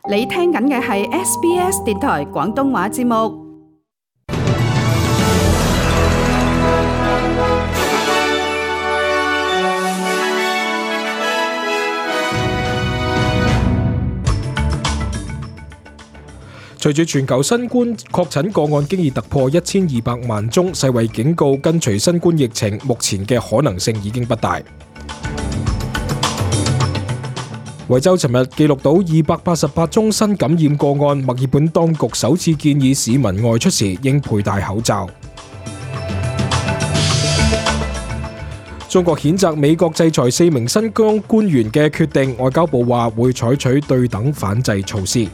你聽緊嘅係 SBS 電台廣東話節目。隨住全球新冠確診個案經已突破1200萬宗，世衛警告跟隨新冠疫情，目前嘅可能性已經不大。維州尋日記錄到288宗新感染個案，墨爾本當局首次建議市民外出時應佩戴口罩。中國譴責美國制裁4名新疆官員嘅決定，外交部話會採取對等反制措施。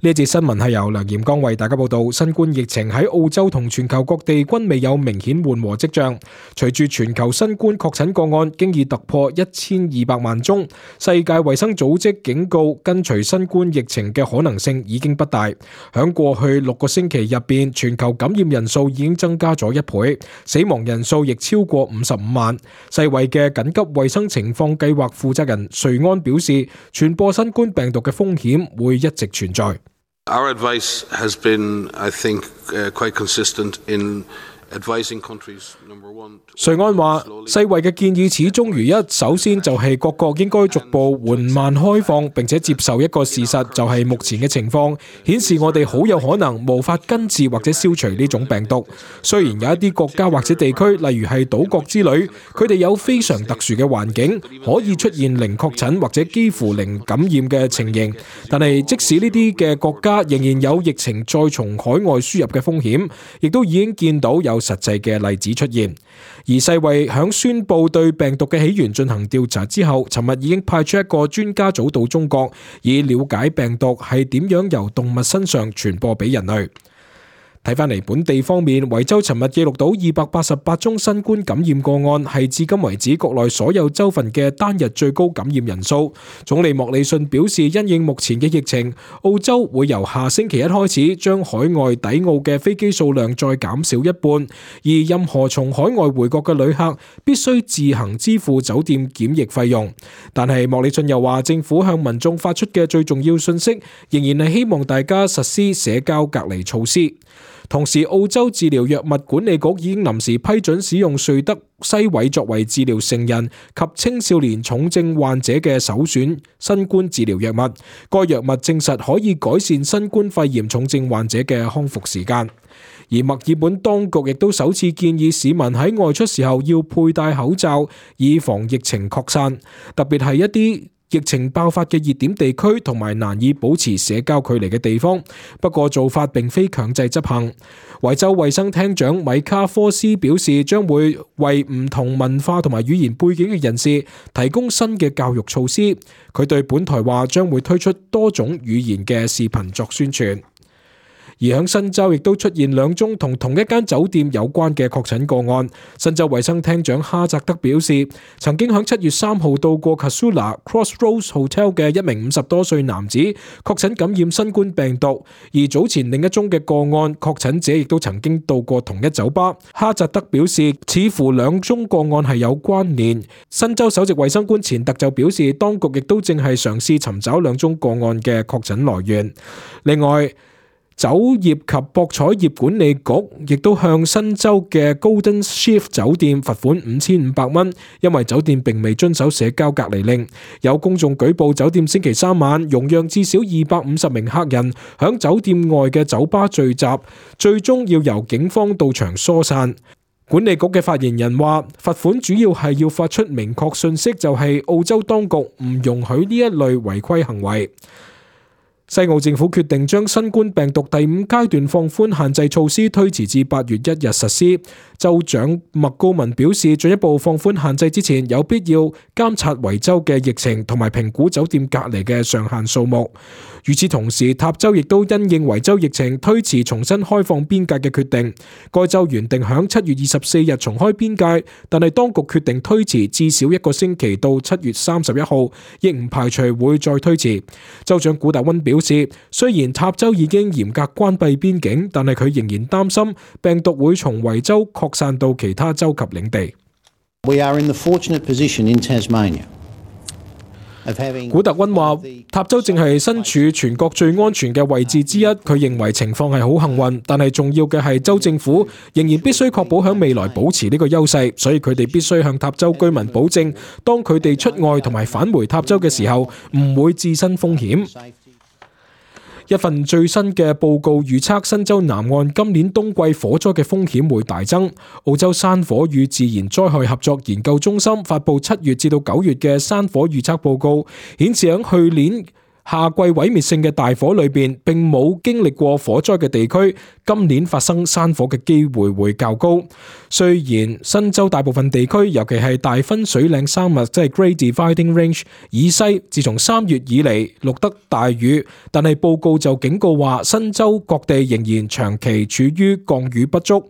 呢一節新聞係由梁炎剛為大家報道。新冠疫情喺澳洲同全球各地均未有明顯緩和跡象。隨住全球新冠確診個案經已突破1200萬宗，世界衛生組織警告跟隨新冠疫情嘅可能性已經不大。響過去6個星期入邊，全球感染人數已經增加咗1倍，死亡人數亦超過55萬。世衛嘅緊急衛生情況計劃負責人瑞安表示，傳播新冠病毒嘅風險會一直存在。Our advice has been, I think, quite consistent in advising countries, number one. 瑞安話，世衛嘅建議始終如一，首先就係各國應該逐步緩慢開放，並且接受一個事實，就係目前嘅情況顯示我哋好有可能無法根治或者消除呢種病毒。雖然有一啲國家或者地區，例如係島國之類，佢哋有非常特殊嘅環境，可以出現零確診或者幾乎零感染嘅情形，但係即使呢啲嘅國家仍然有疫情再從海外輸入嘅風險，亦都已經見到有實際嘅例子出現。而世衛響宣布對病毒嘅起源進行調查之後，尋日已經派出一個專家組到中國，以了解病毒係點樣由動物身上傳播俾人類。睇返嚟本地方面，維州尋日記錄到288宗新冠感染個案，係至今為止國內所有州份嘅單日最高感染人數。總理莫里遜表示，因應目前嘅疫情，澳洲會由下星期一開始將海外抵澳嘅飛機數量再減少一半，而任何從海外回國嘅旅客必須自行支付酒店檢疫費用。但係莫里遜又話，政府向民眾發出嘅最重要信息，仍然係希望大家實施社交隔離措施。同時，澳洲治療藥物管理局已經臨時批准使用瑞德西韋作為治療成人及青少年重症患者嘅首選新冠治療藥物。該藥物證實可以改善新冠肺炎重症患者嘅康復時間。而墨爾本當局亦都首次建議市民喺外出時候要佩戴口罩，以防疫情擴散，特別係一啲疫情爆發嘅熱點地區同埋難以保持社交距離嘅地方。不過做法並非強制執行。維州衛生廳長米卡科斯表示，將會為唔同文化同埋語言背景嘅人士提供新嘅教育措施。佢對本台話，將會推出多種語言嘅視頻作宣傳。而響新州亦都出現2宗同同一間酒店有關嘅確診個案。新州衛生廳長哈澤德表示，曾經響7月3號到過 Casula Crossroads Hotel 嘅一名50多歲男子確診感染新冠病毒，而早前另一宗嘅個案確診者亦都曾經到過同一酒吧。哈澤德表示，似乎2宗個案係有關聯。新州首席衛生官錢特就表示，當局亦都正係嘗試尋找2宗個案嘅確診來源。另外，酒業及博彩業管理局亦都向新州嘅 Golden Shift 酒店罰款5500蚊，因為酒店並未遵守社交隔離令。有公眾舉報酒店星期3晚容讓至少250名客人響酒店外嘅酒吧聚集，最終要由警方到場疏散。管理局嘅發言人話，罰款主要係要發出明確信息，就係澳洲當局唔容許呢一類違規行為。西澳政府決定將新冠病毒第5階段放寬限制措施推遲至8月1日實施。州長麥高文表示，進一步放寬限制之前，有必要監察維州嘅疫情同埋評估酒店隔離嘅上限數目。與此同時，塔州亦都因應維州疫情推遲重新開放邊界嘅決定。該州原定響7月24日重開邊界，但係當局決定推遲至少1個星期到7月31號，亦唔排除會再推遲。州長古達溫表示，雖然塔州已經嚴格關閉邊境，但係佢仍然擔心病毒會從維州擴散到其他州及領地。We are in the fortunate position in Tasmania of having。古特溫話：塔州正係身處全國最安全嘅位置之一。佢認為情況係好幸運，但係重要嘅係州政府仍然必須確保喺未來保持呢個優勢，所以佢哋必須向塔州居民保證，當佢哋出外同埋返回塔州嘅時候，唔會置身風險。一份最新嘅報告預測，新州南岸今年冬季火災嘅風險會大增。澳洲山火與自然災害合作研究中心發布7月至到9月嘅山火預測報告，顯示喺去年夏季毀滅性嘅大火裏邊，並冇經歷過火災嘅地區，今年發生山火嘅機會會較高。雖然新州大部分地區，尤其係大分水嶺山脈即係 Great Dividing Range 以西，自從3月以嚟錄得大雨，但係報告就警告話，新州各地仍然長期處於降雨不足。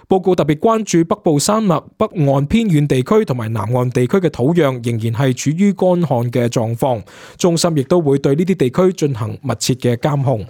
報告特別關注北部山脈北岸偏遠地區同埋南岸地區嘅土壤仍然係處於乾旱嘅狀況，中心亦都會對呢啲地區進行密切嘅監控。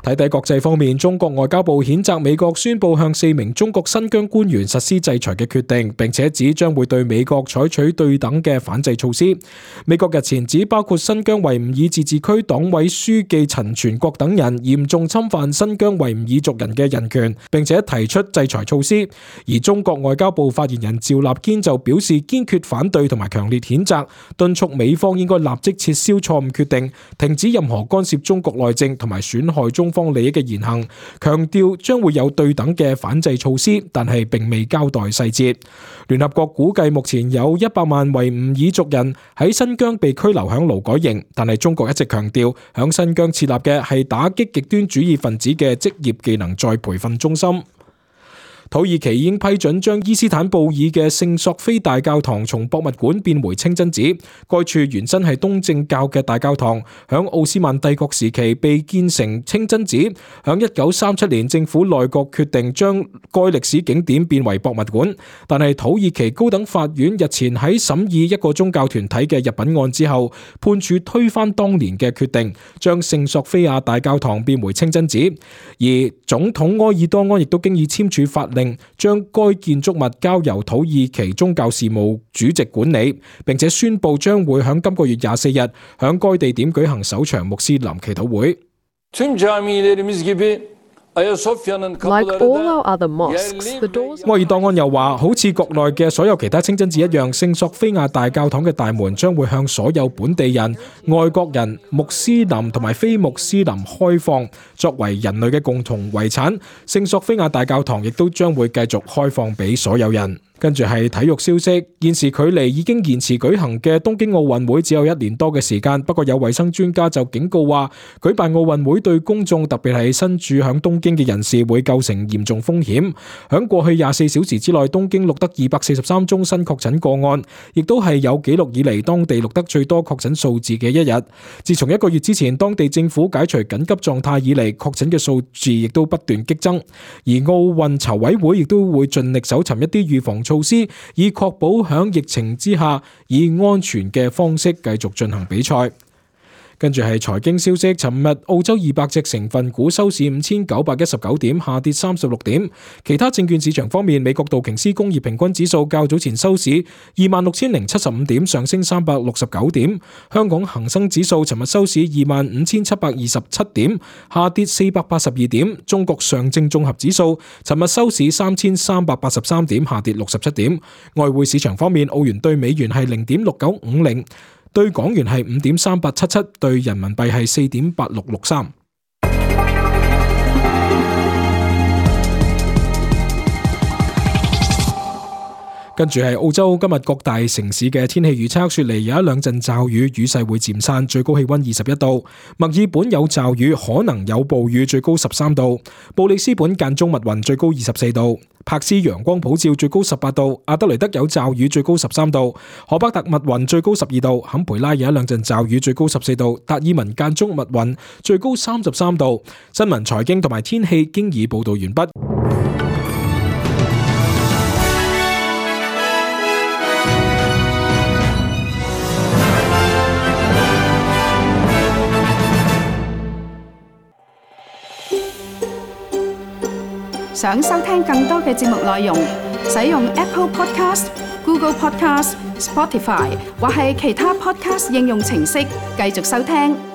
睇睇國際方面，中國外交部譴責美國宣布向4名中國新疆官員實施制裁嘅決定，並且指將會對美國採取對等嘅反制措施。美國日前指包括新疆維吾爾自治區黨委書記陳全國等人嚴重侵犯新疆維吾爾族人嘅人權，並且提出制裁措施。而中國外交部發言人趙立堅就表示堅決反對同埋強烈譴責，敦促美方應該立即撤銷錯誤決定，停止任何干涉中國內政同埋損害中方利益嘅言行，強調將會有對等嘅反制措施，但係並未交代細節。聯合國估計目前有100萬維吾爾族人喺新疆被拘留響勞改營，但係中國一直強調響新疆設立嘅係打擊極端主義分子嘅職業技能再培訓中心。土耳其已經批准將伊斯坦布爾嘅聖索菲大教堂從博物館變回清真寺。該處原身係東正教嘅大教堂，響奧斯曼帝國時期被建成清真寺。響1937年，政府內閣決定將該歷史景點變為博物館。但係土耳其高等法院日前喺審議一個宗教團體嘅入稟案之後，判處推翻當年嘅決定，將聖索菲亞大教堂變回清真寺。而總統埃爾多安亦都經已簽署法令，將該建築物交由土耳其宗教事務主席管理，並且宣布將會喺今個月24日喺該地點舉行首場穆斯林祈禱會。Like all our other mosques, the doors... 埃爾多安又話，好似國內嘅所有其他清真寺一樣，聖索菲亞大教堂嘅大門將會向所有本地人、外國人、穆斯林同埋非穆斯林開放，作為人類嘅共同遺產。聖索菲亞大教堂亦都將會繼續開放俾所有人。跟住係體育消息，現時距離已經延遲舉行嘅東京奧運會只有1年多嘅時間，不過有衛生專家就警告話，舉辦奧運會對公眾，特別係身處響東京嘅人士會構成嚴重風險。響過去24小時之內，東京錄得243宗新確診個案，亦都係有紀錄以嚟當地錄得最多確診數字嘅一日。自從1個月之前當地政府解除緊急狀態以嚟，確診嘅數字亦都不斷激增。而奧運籌委會亦都會盡力搜尋一啲預防措施，以確保響疫情之下以安全嘅方式繼續進行比賽。跟住係財經消息，尋日澳洲200隻成分股收市5919點，下跌36點。其他證券市場方面，美國道瓊斯工業平均指數較早前收市26075點，上升369點。香港恒生指數尋日收市25727點，下跌482點。中國上證綜合指數尋日收市3383點，下跌67點。外匯市場方面，澳元對美元係0.6950。對港元係5.3877，對人民幣係4.8663。跟住係澳洲今日各大城市嘅天氣預測，雪梨有一兩陣驟雨，雨勢會漸散，最高氣溫21度；墨爾本有驟雨，可能有暴雨，最高13度；布里斯本間中密雲，最高24度；柏斯陽光普照，最高18度；阿德雷德有驟雨，最高13度；荷巴特密雲，最高12度；坎培拉有一兩陣驟雨，最高14度；達爾文間中密雲，最高33度。新聞、財經同埋天氣經已報道完畢。想收聽更多嘅節目內容，使用 Apple Podcast、Google Podcast、Spotify 或係其他 Podcast 應用程式繼續收聽。